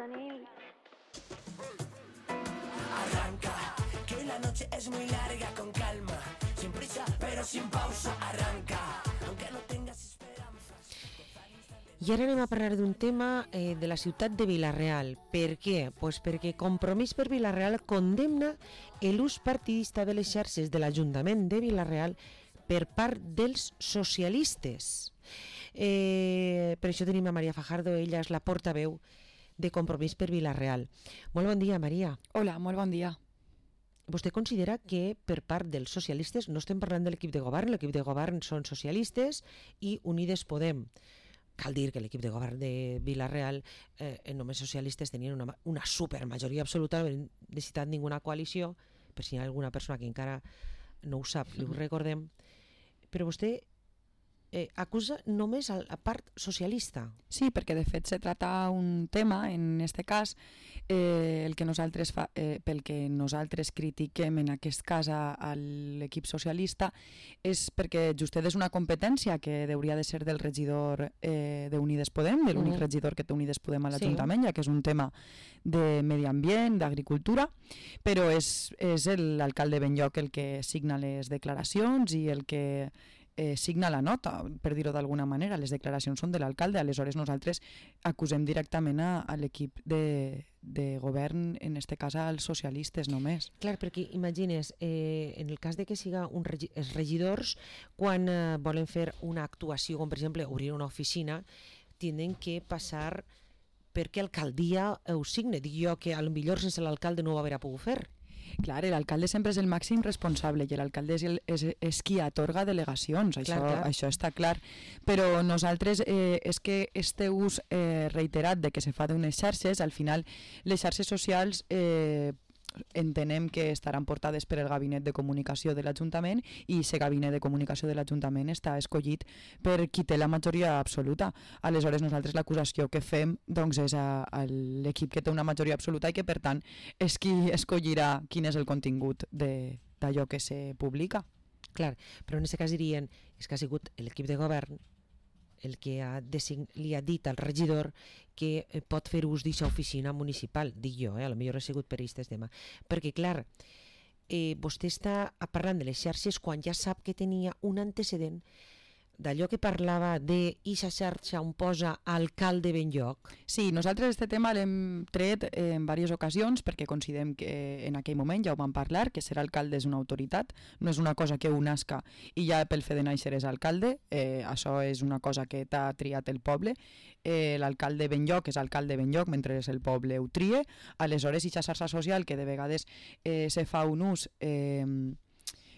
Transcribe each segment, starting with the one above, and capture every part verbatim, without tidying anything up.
Manzanil. Arranca, que la noche es muy larga, con calma, sin prisa pero sin pausa. Arranca, aunque no tengas esperanza. I ara anem a parlar d'un tema eh, de la ciutat de Vila-real. Per què? Pues perquè Compromís per Vila-real condemna l'ús partidista de les xarxes de l'Ajuntament de Vila-real per part dels socialistes. Eh, per això tenim a Maria Fajardo, ella és la portaveu de Compromís per Vila-real. Molt bon dia, Maria. Hola, molt bon dia. Vostè considera que per part dels socialistes, no estem parlant de l'equip de govern, l'equip de govern són socialistes i Unides Podem. Cal dir que l'equip de govern de Vila-real, eh, només socialistes, tenien una, una supermajoria absoluta, no han necessitat ninguna coalició, per si hi ha alguna persona que encara no ho sap, li ho recordem, però vostè eh, acusa només a la part socialista. Sí, perquè de fet se trata un tema, en este cas, eh, el que nosaltres fa, eh, pel que nosaltres critiquem en aquest cas a, a l'equip socialista és perquè justet és una competència que hauria de ser del regidor eh, d'Unides Podem, de l'únic mm. regidor que té Unides Podem a l'Ajuntament, sí. Ja que és un tema de medi ambient, d'agricultura, però és, és l'alcalde Benlloc el que signa les declaracions i el que Eh, signa la nota, per dir-ho d'alguna manera. Les declaracions són de l'alcalde, aleshores nosaltres acusem directament a, a l'equip de, de govern, en este cas als socialistes només. Clar, perquè imagines, eh, en el cas de que siga un regi els regidors, quan eh, volen fer una actuació, com per exemple obrir una oficina, tenen que passar perquè alcaldia ho signe. Dic jo que potser sense l'alcalde no ho haurà pogut fer. Clar, l'alcalde sempre és el màxim responsable i l'alcalde és, és, és qui atorga delegacions, això, clar, clar. Això està clar. Però nosaltres, eh, és que este ús eh, reiterat de que se fa d'unes xarxes, al final les xarxes socials eh, entenem que estaran portades per el gabinet de comunicació de l'Ajuntament i aquest gabinet de comunicació de l'Ajuntament està escollit per qui té la majoria absoluta. Aleshores nosaltres l'acusació que fem doncs, és a, a l'equip que té una majoria absoluta i que per tant és qui escollirà quin és el contingut d'allò que se publica. Clar, però en aquest cas dirien és que ha sigut l'equip de govern el que ha li ha dit al regidor que pot fer ús d'aquesta oficina municipal, dic jo, eh? A lo millor ha sigut per aquest tema. Perquè, clar, eh, vostè està parlant de les xarxes quan ja sap que tenia un antecedent d'allò que parlava de ixa xarxa on posa alcalde Benlloc. Sí, nosaltres este tema l'hem tret en diverses ocasions perquè considerem que en aquell moment ja ho vam parlar, que ser alcalde és una autoritat, no és una cosa que un nasca i ja pel fet de néixer és alcalde, eh, això és una cosa que t'ha triat el poble, eh, l'alcalde Benlloc és alcalde Benlloc mentre el poble ho trie, aleshores ixa xarxa social que de vegades eh, se fa un ús eh,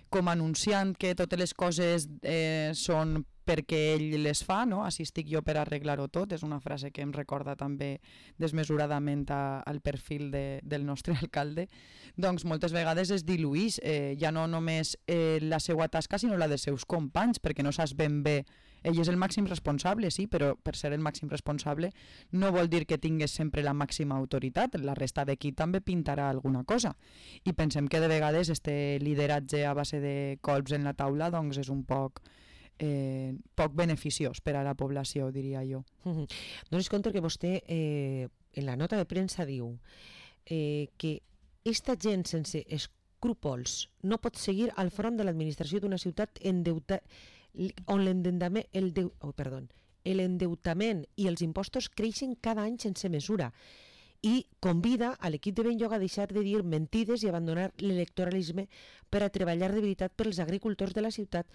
com anunciant que totes les coses eh, són perquè ell les fa, no? Així estic jo per arreglar-ho tot, és una frase que em recorda també desmesuradament a, al perfil de, del nostre alcalde, doncs moltes vegades es diluïx, eh, ja no només eh, la seva tasca sinó la dels seus companys, perquè no saps ben bé, ell és el màxim responsable, sí, però per ser el màxim responsable no vol dir que tingues sempre la màxima autoritat, la resta d'aquí també pintarà alguna cosa, i pensem que de vegades este lideratge a base de colps en la taula doncs és un poc Eh, poc beneficiós per a la població, diria jo. Mm-hmm. Donis compte que vostè eh, en la nota de premsa diu eh, que esta gent sense escrúpols no pot seguir al front de l'administració d'una ciutat endeuta, on l'endeutament el deu, oh, perdó, l'endeutament i els impostos creixen cada any sense mesura i convida a l'equip de Benlloc a deixar de dir mentides i abandonar l'electoralisme per a treballar de veritat pels agricultors de la ciutat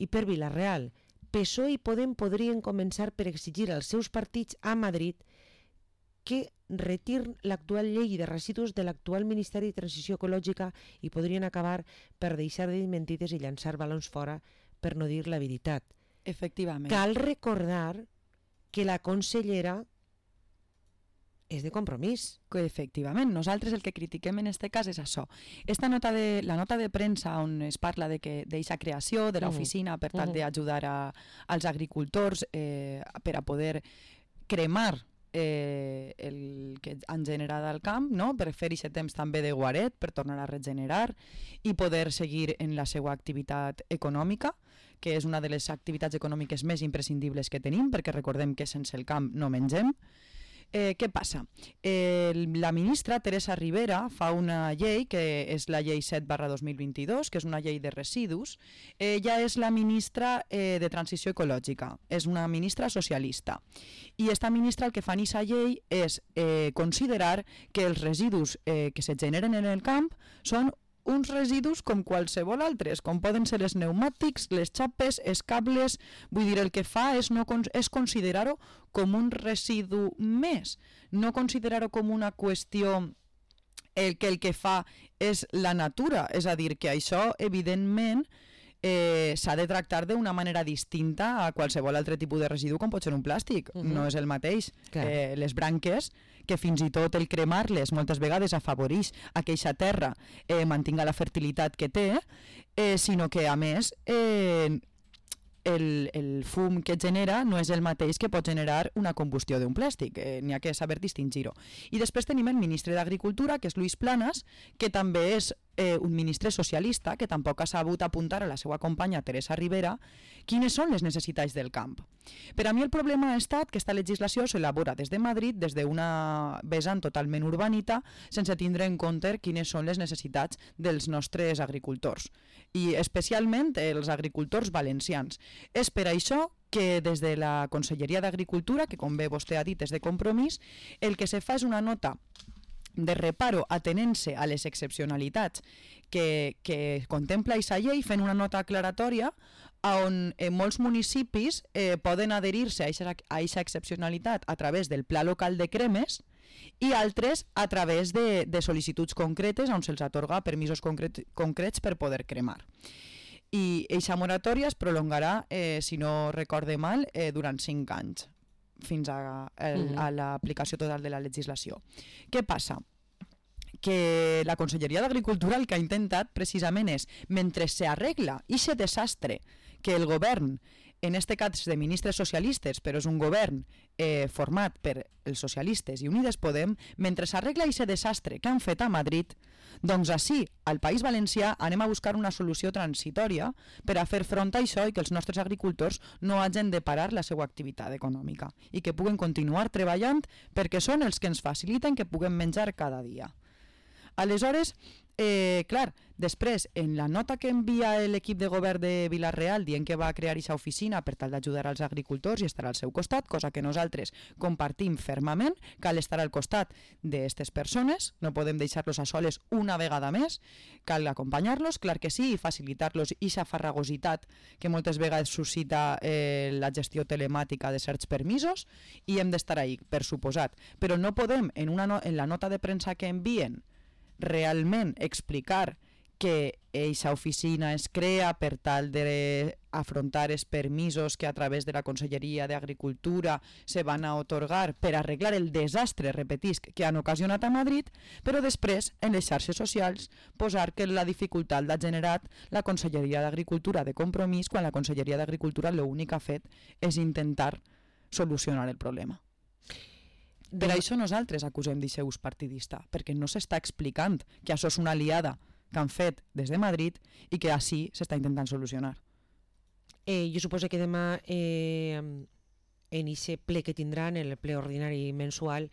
i per Vila-real. P S O E i Podem podrien començar per exigir als seus partits a Madrid que retirin l'actual llei de residus de l'actual Ministeri de Transició Ecològica i podrien acabar per deixar de dir mentides i llançar balons fora per no dir la veritat. Efectivament. Cal recordar que la consellera és de Compromís. Que efectivament, nosaltres el que critiquem en aquest cas és això. Esta nota de, la nota de premsa on es parla de que d'aquesta creació de l'oficina per tal d'ajudar als agricultors eh, per a poder cremar eh, el que han generat al camp, no? Per fer aquest temps també de guaret, per tornar a regenerar i poder seguir en la seva activitat econòmica, que és una de les activitats econòmiques més imprescindibles que tenim, perquè recordem que sense el camp no mengem. Eh, què passa? Eh, la ministra Teresa Rivera fa una llei, que és la llei set barra dos mil vint-i-dos, que és una llei de residus. Ella és la ministra eh, de Transició Ecològica, és una ministra socialista. I esta ministra el que fa en aquesta llei és eh, considerar que els residus eh, que se generen en el camp són uns residus com qualsevol altres, com poden ser els pneumàtics, les xapes, els cables. Vull dir, el que fa és, no, és considerar-ho com un residu més, no considerar-ho com una qüestió el que el que fa és la natura, és a dir, que això, evidentment, eh, s'ha de tractar d'una manera distinta a qualsevol altre tipus de residu, com pot ser un plàstic. Uh-huh. No és el mateix. Eh, les branques, que fins i tot el cremar-les moltes vegades afavoreix a que aquesta terra eh, mantinga la fertilitat que té, eh, sinó que, a més, eh, el, el fum que genera no és el mateix que pot generar una combustió d'un plàstic. Eh, N'hi ha que saber distingir-ho. I després tenim el ministre d'Agricultura, que és Luis Planas, que també és eh, un ministre socialista, que tampoc ha sabut apuntar a la seva companya Teresa Rivera quines són les necessitats del camp. Per a mi el problema ha estat que aquesta legislació s'elabora des de Madrid, des d'una vessant totalment urbanita, sense tindre en compte quines són les necessitats dels nostres agricultors, i especialment els agricultors valencians. És per això que des de la Conselleria d'Agricultura, que com bé vostè ha dit és de Compromís, el que se fa és una nota de reparo atenent-se a les excepcionalitats que, que contempla aquesta llei, fent una nota aclaratòria on eh, molts municipis eh, poden adherir-se a aquesta excepcionalitat a través del Pla Local de Cremes i altres a través de, de sol·licituds concretes on se'ls atorga permisos concret, concrets per poder cremar. I aquesta moratòria es prolongarà, eh, si no recorde mal, eh, durant cinc anys, fins a, el, a l'aplicació total de la legislació. Què passa? Que la Conselleria d'Agricultura el que ha intentat precisament és, mentre s'arregla aquest desastre que el govern, en este cas de ministres socialistes, però és un govern eh, format per els socialistes i Unides Podem, mentre s'arregla aquest desastre que han fet a Madrid, doncs així, al País Valencià, anem a buscar una solució transitòria per a fer front a això i que els nostres agricultors no hagin de parar la seva activitat econòmica i que puguen continuar treballant perquè són els que ens faciliten que puguem menjar cada dia. Aleshores, eh, clar, després, en la nota que envia l'equip de govern de Vila-real dient que va crear aquesta oficina per tal d'ajudar als agricultors i estar al seu costat, cosa que nosaltres compartim fermament, cal estar al costat d'aquestes persones, no podem deixar-los a soles una vegada més, cal acompanyar-los, clar que sí, i facilitar-los aquesta farragositat que moltes vegades suscita eh, la gestió telemàtica de certs permisos, i hem d'estar ahí, per suposat. Però no podem, en, una no, en la nota de premsa que envien, realment explicar que aquesta oficina es crea per tal d'afrontar els permisos que a través de la Conselleria d'Agricultura se van a otorgar per arreglar el desastre, repetisc, que han ocasionat a Madrid, però després, en les xarxes socials, posar que la dificultat l'ha generat la Conselleria d'Agricultura de Compromís, quan la Conselleria d'Agricultura l'únic que ha fet és intentar solucionar el problema. Per de... això nosaltres acusem d'aquest ús partidista, perquè no s'està explicant que això és una aliada que han fet des de Madrid i que així s'està intentant solucionar. Eh, jo suposo que demà eh, en aquest ple que tindran, el ple ordinari mensual,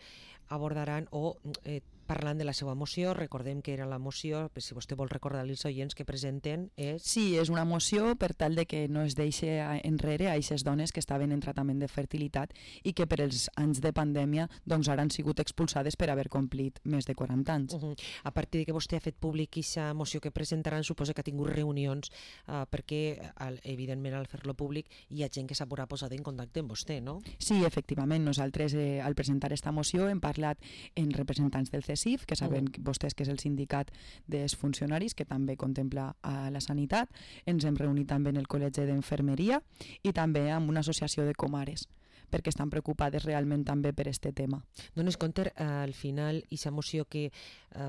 abordaran o eh, parlant de la seva moció. Recordem que era la moció, si vostè vol recordar als oients que presenten, és... Sí, és una moció per tal de que no es deixi enrere a aquestes dones que estaven en tractament de fertilitat i que per els anys de pandèmia doncs ara han sigut expulsades per haver complit més de quaranta anys. Uh -huh. A partir de que vostè ha fet públic aquesta moció que presentaran, suposa que ha tingut reunions uh, perquè, al, evidentment, al fer-lo públic hi ha gent que s'haurà posat en contacte amb vostè, no? Sí, efectivament. Nosaltres, eh, al presentar esta moció, hem parlat en representants del C E S I F, que saben uh -huh. vostès que és el sindicat dels funcionaris, que també contempla a la sanitat. Ens hem reunit també en el Col·legi d'Enfermeria i també amb una associació de comares, perquè estan preocupades realment també per aquest tema. Dones compte, eh, al final, aquesta moció que eh,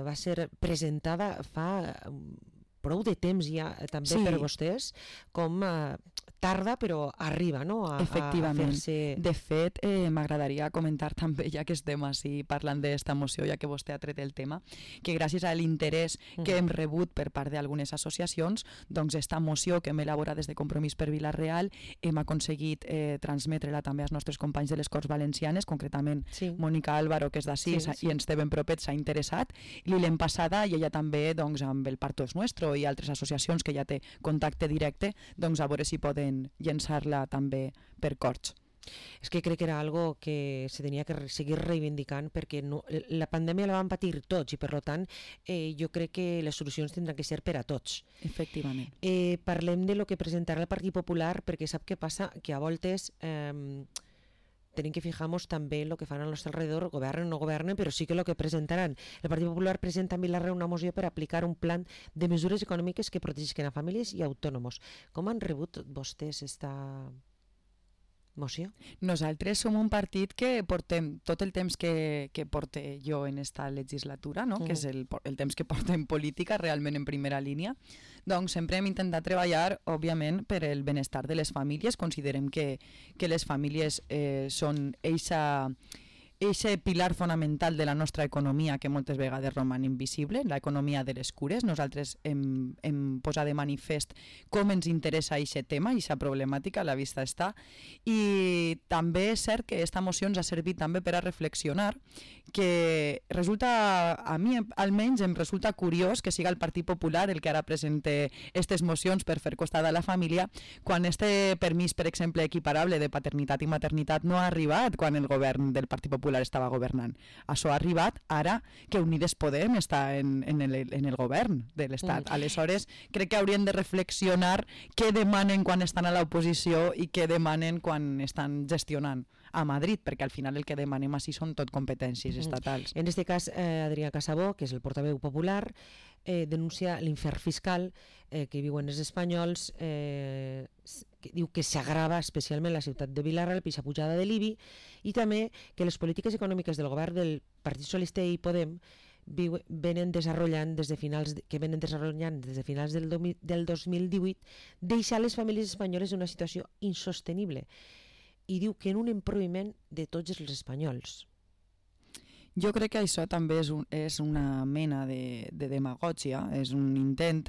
va ser presentada fa... Eh, prou de temps ja també sí. per vostès, com eh, tarda, però arriba, no?, a, Efectivament. a fer-se... De fet, eh, m'agradaria comentar també, ja que estem així parlant d'esta moció, ja que vostè ha tret el tema, que gràcies a l'interès que hem rebut per part d'algunes associacions, doncs esta moció que hem elaborat des de Compromís per Vila-real hem aconseguit eh, transmetre-la també als nostres companys de les Corts Valencianes, concretament sí. Mònica Álvaro, que és d'ací, sí, sí. i ens té ben propet, s'ha interessat, i l'hem passada i ella també, doncs, amb el Parto és Nuestro i altres associacions que ja té contacte directe, doncs a veure si poden llençar-la també per Corts. És que crec que era algo que se tenia que seguir reivindicant perquè no, la pandèmia la van patir tots i per tant eh, jo crec que les solucions tindran que ser per a tots. Efectivament. Eh, parlem de lo que presentarà el Partit Popular perquè sap què passa? Que a voltes eh, tenim que fijar-nos també en el que fan al nostre alrededor, governen o no governen, però sí que el que presentaran. El Partit Popular presenta a Vila-real una moció per aplicar un plan de mesures econòmiques que protegeixen a famílies i autònoms. Com han rebut vostès esta moció? Nosaltres som un partit que portem tot el temps que, que porte jo en esta legislatura, no? Mm. que és el, el temps que portem política realment en primera línia, doncs sempre hem intentat treballar, òbviament, per el benestar de les famílies. Considerem que, que les famílies eh, són eixa... Eixe pilar fonamental de la nostra economia que moltes vegades roman invisible, l'economia de les cures. Nosaltres hem, hem posat de manifest com ens interessa eixe tema, eixa problemàtica, a la vista està. I també és cert que aquesta moció ens ha servit també per a reflexionar que resulta, a mi almenys em resulta curiós que siga el Partit Popular el que ara presente aquestes mocions per fer costat a la família, quan este permís, per exemple, equiparable de paternitat i maternitat no ha arribat quan el govern del Partit Popular estava governant. Això ha arribat ara que Unides Podem està en, en, el, en el govern de l'Estat. Mm. Aleshores, crec que haurien de reflexionar què demanen quan estan a l'oposició i què demanen quan estan gestionant a Madrid, perquè al final el que demanem així són tot competències estatals. En aquest cas, eh, Adrià Casabó, que és el portaveu popular, eh, denuncia l'infern fiscal eh, que viuen els espanyols, eh, que diu que s'agrava especialment la ciutat de Vila-real per la pujada de l'I B I i també que les polítiques econòmiques del govern del Partit Socialista i Podem viu, venen desenvolupant des de finals de, que venen desenvolupant des de finals del, del dos mil divuit, deixar les famílies espanyoles en una situació insostenible. I diu que en un empobriment de tots els espanyols. Jo crec que això també és, un, és una mena de, de demagògia, és un intent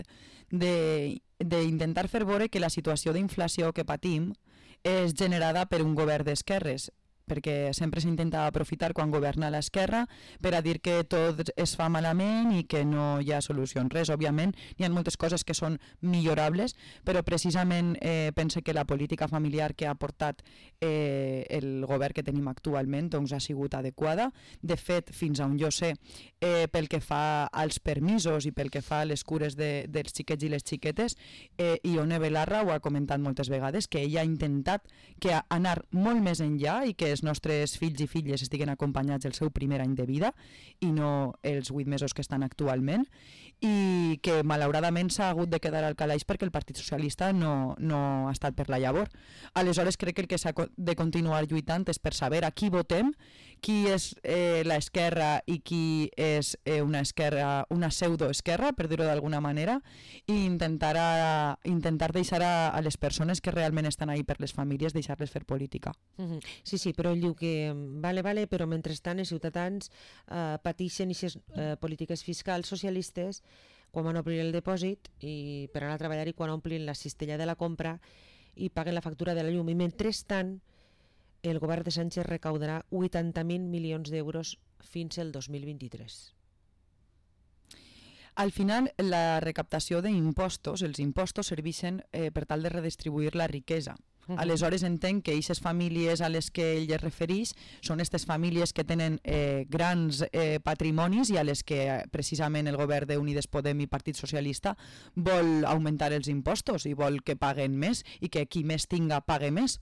d'intentar fer veure que la situació d'inflació que patim és generada per un govern d'esquerres, perquè sempre s'intenta aprofitar quan governa l'esquerra per a dir que tot es fa malament i que no hi ha solucions. Res, òbviament, hi ha moltes coses que són millorables, però precisament eh, pense que la política familiar que ha portat eh, el govern que tenim actualment doncs, ha sigut adequada. De fet, fins on jo sé, eh, pel que fa als permisos i pel que fa a les cures de, dels xiquets i les xiquetes, eh, Ione Belarra ho ha comentat moltes vegades, que ella ha intentat que anar molt més enllà i que els nostres fills i filles estiguen acompanyats el seu primer any de vida i no els vuit mesos que estan actualment, i que malauradament s'ha hagut de quedar al calaix perquè el Partit Socialista no, no ha estat per la llavor. Aleshores crec que el que s'ha de continuar lluitant és per saber a qui votem, qui és eh, l'esquerra i qui és eh, una esquerra, una pseudoesquerra, per dir-ho d'alguna manera, i intentar, a, intentar deixar a, a les persones que realment estan ahí per les famílies, deixar-les fer política. Mm-hmm. Sí, sí, però ell diu que vale, vale, però mentrestant els ciutadans eh, pateixen aquestes eh, polítiques fiscals socialistes quan van obrir el depòsit i per anar a treballar i quan omplin la cistella de la compra i paguen la factura de la llum. I mentrestant el govern de Sánchez recaudarà vuitanta mil milions d'euros fins al dos mil vint-i-tres. Al final, la recaptació d'impostos, els impostos serveixen eh, per tal de redistribuir la riquesa. Aleshores entenc que aquestes famílies a les que ell es refereix són aquestes famílies que tenen eh, grans eh, patrimonis i a les que eh, precisament el govern d'Unides Podem i Partit Socialista vol augmentar els impostos i vol que paguen més i que qui més tinga pague més.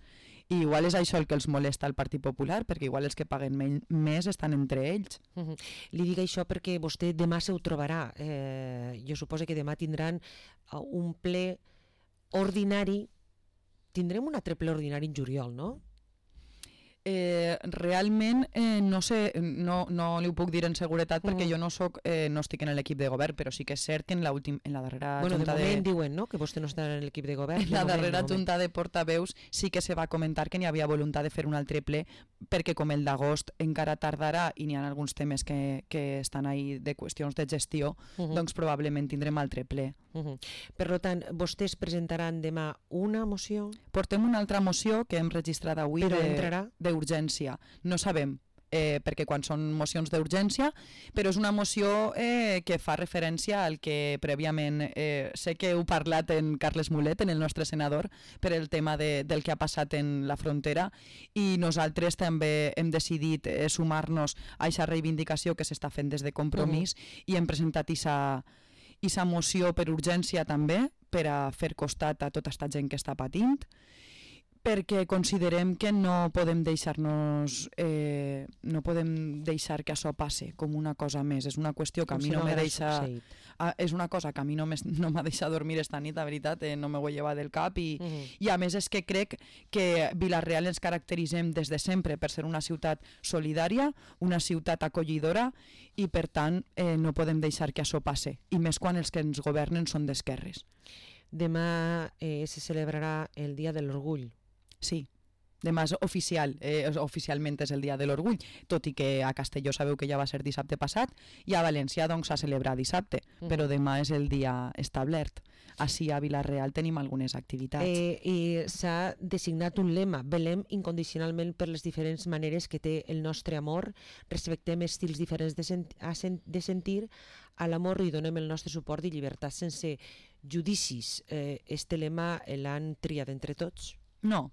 I igual és això el que els molesta al Partit Popular, perquè igual els que paguen més estan entre ells. Uh-huh. Li dic això perquè vostè demà se ho trobarà. Eh, jo suposo que demà tindran un ple ordinari. Tindrem un altre ple ordinari en juliol, no? Eh, realment eh, no sé, no, no li ho puc dir en seguretat perquè Mm. jo no soc, eh, no estic en l'equip de govern, però sí que és cert que en la, últim, en la darrera Bueno, de junta moment de... diuen, no?, que vostè no està en l'equip de govern. En de la moment, darrera de moment. junta de portaveus sí que se va comentar que n'hi havia voluntat de fer un altre ple perquè com el d'agost encara tardarà i n'hi ha alguns temes que, que estan ahí de qüestions de gestió, Uh -huh. doncs probablement tindrem altre ple. Uh -huh. Per tant, vostès presentaran demà una moció, Portem una altra moció que hem registrat avui però de- entrarà? d'urgència. No sabem, eh, perquè quan són mocions d'urgència, però és una moció eh, que fa referència al que prèviament, eh, sé que heu parlat en Carles Mulet, en el nostre senador, per el tema de, del que ha passat en la frontera, i nosaltres també hem decidit eh, sumar-nos a aquesta reivindicació que s'està fent des de Compromís uh-huh. i hem presentat aquesta aquesta moció per urgència també, per a fer costat a tota aquesta gent que està patint, perquè considerem que no podem deixar-nos eh, no podem deixar que això passe com una cosa més. És una qüestió que Com a mi si no, no me haguera deixa succeït. a, és una cosa que a mi no m'es- no m'ha deixat dormir esta nit, la veritat, eh, no me ho he llevat del cap i, Uh -huh. i a més és que crec que Vila-real ens caracteritzem des de sempre per ser una ciutat solidària, una ciutat acollidora i per tant eh, no podem deixar que això passe, i més quan els que ens governen són d'esquerres. Demà eh, se celebrarà el Dia de l'Orgull. Sí, demà és oficial, eh, oficialment és el Dia de l'Orgull, tot i que a Castelló sabeu que ja va ser dissabte passat i a València doncs s'ha celebrat dissabte, Mhm. però demà és el dia establert. Així a Vila-real tenim algunes activitats. Eh, I s'ha designat un lema: velem incondicionalment per les diferents maneres que té el nostre amor, respectem estils diferents de, sent a sen de sentir, a l'amor i donem el nostre suport i llibertat sense judicis. Eh, este lema l'han triat entre tots? No,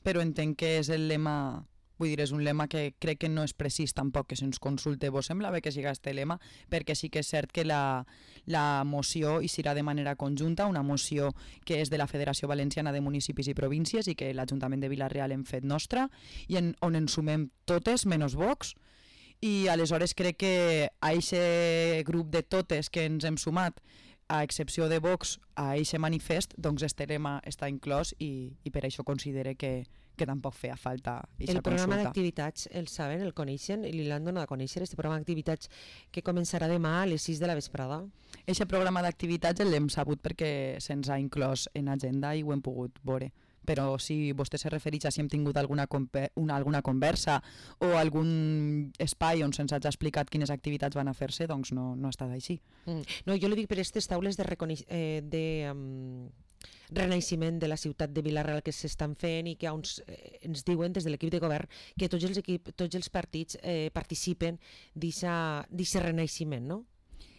però entenc que és el lema, vull dir, és un lema que crec que no és precís tampoc que se'ns consulte. Vos sembla bé que siga este lema? Perquè sí que és cert que la, la moció hi serà de manera conjunta, una moció que és de la Federació Valenciana de Municipis i Províncies i que l'Ajuntament de Vila-real hem fet nostra i en, on ens sumem totes, menys Vox, i aleshores crec que a aquest grup de totes que ens hem sumat, a excepció de Vox, a aquest manifest, doncs este lema està inclòs i, i per això considere que, que tampoc feia falta aquesta El programa consulta. d'activitats el saben, el coneixen i li l'han donat a conèixer, este programa d'activitats que començarà demà a les sis de la vesprada. Aquest programa d'activitats l'hem sabut perquè se'ns ha inclòs en agenda i ho hem pogut veure. Però si vostè se refereix a si hem tingut alguna, una, alguna conversa o algun espai on se'ns hagi explicat quines activitats van a fer-se, doncs no, no ha estat així. Mm. No, jo li dic per aquestes taules de, eh, de um, renaixement de la ciutat de Vila-real que s'estan fent i que uns, eh, ens diuen des de l'equip de govern que tots els, equip, tots els partits eh, participen d'aquest renaixement, no?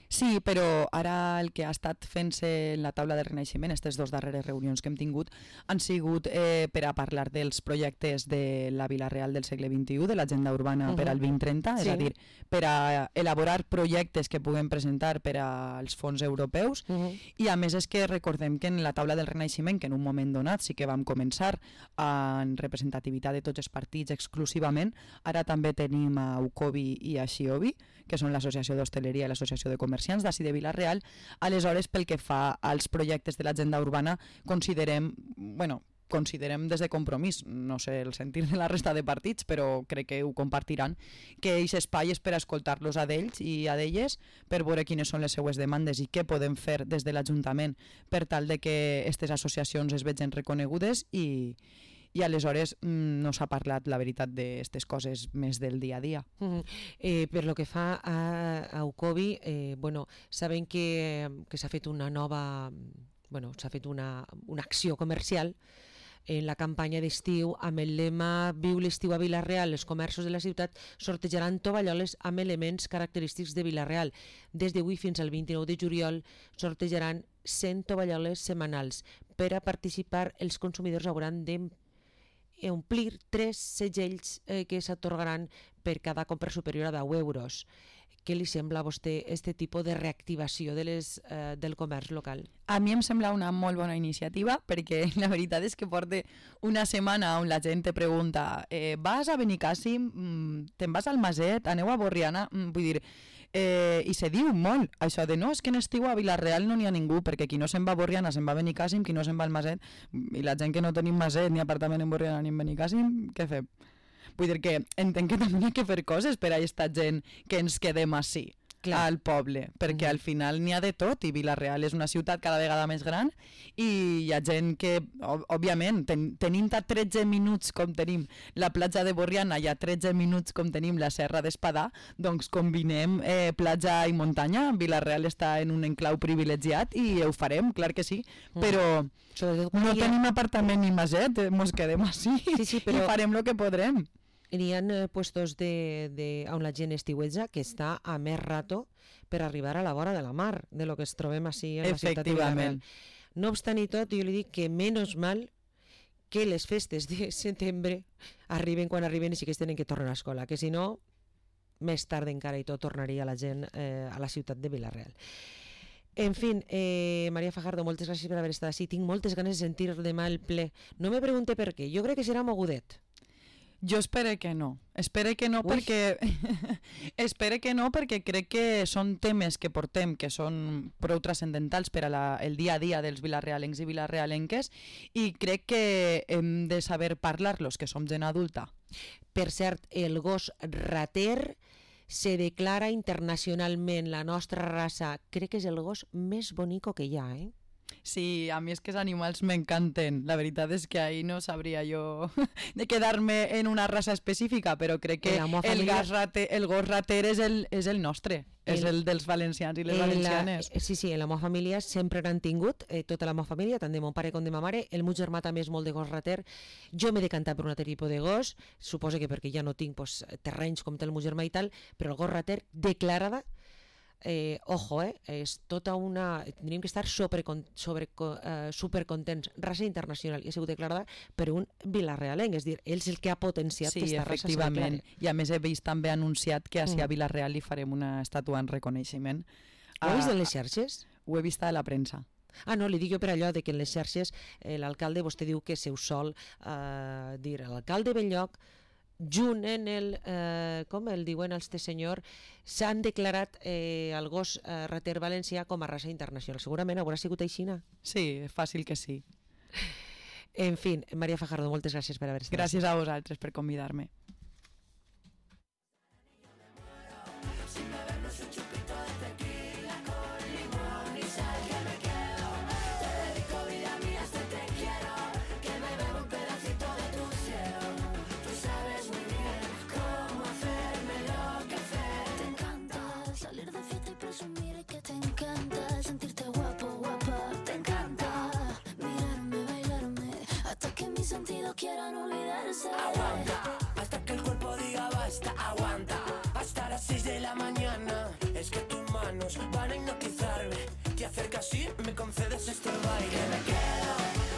Sí, però ara el que ha estat fent-se en la taula de renaixement, aquestes dues darreres reunions que hem tingut, han sigut eh, per a parlar dels projectes de la Vila-real del segle vint-i-u, de l'agenda urbana uh -huh. per al vint trenta, sí. És a dir, per a elaborar projectes que puguem presentar per als fons europeus, uh -huh. i a més és que recordem que en la taula del renaixement, que en un moment donat sí que vam començar en representativitat de tots els partits exclusivament, ara també tenim a UCOBI i a XIOBI, que són l'Associació d'Hostaleria i l'Associació de Comerciants d'ací de Vila-real. Aleshores, pel que fa als projectes de l'agenda urbana, considerem, bueno, considerem des de Compromís, no sé el sentir de la resta de partits, però crec que ho compartiran, que aquest espai és per escoltar-los a d'ells i a d'elles per veure quines són les seues demandes i què podem fer des de l'Ajuntament per tal de que aquestes associacions es vegin reconegudes i i aleshores mmm, no s'ha parlat, la veritat, d'aquestes coses més del dia a dia. Uh -huh. eh, per lo que fa a, a UCOBI, eh, bueno, saben que, que s'ha fet una nova, bueno, s'ha fet una, una acció comercial en la campanya d'estiu amb el lema Viu l'estiu a Vila-real, els comerços de la ciutat sortejaran tovalloles amb elements característics de Vila-real. Des d'avui fins al vint-i-nou de juliol sortejaran cent tovalloles setmanals. Per a participar, els consumidors hauran de omplir tres segells eh, que s'atorgaran per cada compra superior a deu euros. Què li sembla a vostè este tipus de reactivació de les, eh, del comerç local? A mi em sembla una molt bona iniciativa perquè la veritat és que porta una setmana on la gent te pregunta eh, vas a Benicàssim, mm, te'n vas al Maset, aneu a Borriana, mm, vull dir, Eh, I se diu molt això de no, és que en estiu a Vila-real no n'hi ha ningú, perquè qui no se'n va a Borriana se'n va a Benicàssim, qui no se'n va al Maset, i la gent que no tenim Maset ni apartament en Borriana ni en Benicàssim, què fem? Vull dir que entenc que també hi ha que fer coses per a aquesta gent que ens quedem així. Clar. Al poble, perquè mm. al final n'hi ha de tot i Vila-real és una ciutat cada vegada més gran i hi ha gent que, òbviament, ten, tenint a tretze minuts com tenim la platja de Borriana i a tretze minuts com tenim la Serra d'Espadà, doncs combinem eh, platja i muntanya. Vila-real està en un enclau privilegiat i ho farem, clar que sí, mm. però no ha... tenim apartament ni maset, eh, mos quedem així sí, sí, però... i farem el que podrem. N'hi ha eh, puestos de, de, on la gent estiuetja que està a més rato per arribar a la vora de la mar, de lo que es trobem així en la ciutat de Vila-real. No obstant i tot, jo li dic que menys mal que les festes de setembre arriben quan arriben i sí que es tenen que tornar a l'escola, que si no, més tard encara i tot tornaria la gent eh, a la ciutat de Vila-real. En fi, eh, Maria Fajardo, moltes gràcies per haver estat així. Tinc moltes ganes de sentir demà el ple. No me pregunte per què, jo crec que serà mogudet. Jo espero que no, espero que no perquè espero que no perquè crec que són temes que portem que són prou transcendentals per a la, el dia a dia dels vilarrealencs i vilarrealenques i crec que hem de saber parlar-los, que som gent adulta. Per cert, el gos rater se declara internacionalment la nostra raça. Crec que és el gos més bonico que hi ha, eh? Sí, a mi és que els animals m'encanten. La veritat és que ahí no sabria jo de quedar-me en una raça específica, però crec que el, familia... gas rater, el gos rater és el, és el nostre, el, és el dels valencians i les valencianes. La, sí, sí, en la meva família sempre n'han tingut, eh, tota la meva família, tant de mon pare com de ma mare. El meu germà també és molt de gos rater. Jo m'he decantat per un altre tipus de gos, suposo que perquè ja no tinc pues, terrenys com té el meu germà i tal, però el gos rater declarada. Eh, ojo, eh, és tota una... Tindríem que estar sobre, sobre, uh, supercontents. Raça internacional i ha sigut declarada per un vilarrealenc, és a dir, ell és el que ha potenciat sí, aquesta raça. Sí, efectivament. I a més he vist també anunciat que a mm. Vilareal li farem una estàtua en reconeixement. Ho heu vist en les xarxes? Ho he vist a la premsa. Ah, no, li dic jo per allò de que en les xarxes eh, l'alcalde, vostè diu que seu sol eh, dir l'alcalde Belloc junt en el, eh, com el diuen els de senyor, s'han declarat eh, el gos eh, rater valencià com a raça internacional. Segurament haurà sigut aixina. Sí, fàcil que sí. En fi, Maria Fajardo, moltes gràcies per haver estat. Gràcies a vosaltres per convidar-me. Quieran olvidarse. Aguanta, hasta que el cuerpo diga basta. Aguanta, hasta las seis de la mañana. Es que tus manos van a hipnotizarme. Te acercas y me concedes este baile. Que me quedo,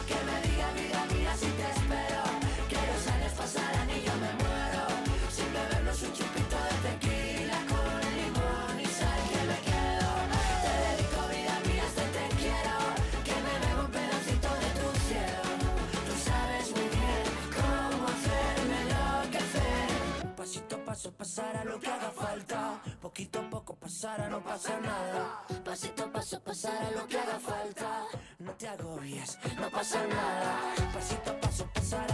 que me diga vida mía si te espero. Que los años pasarán y yo me muero sin bebernos un chupito de tequila con limón y sal. Que me quedo, te dedico vida mía, este te quiero. Que me bebo un pedacito de tu cielo. Tú sabes muy bien cómo hacerme enloquecer. Pasito a paso pasará lo que haga falta. Poquito a poco pasará, no pasa nada. Pasito a paso pasará lo que haga falta. No te agobies, no pasa nada. Pasito a paso pasará.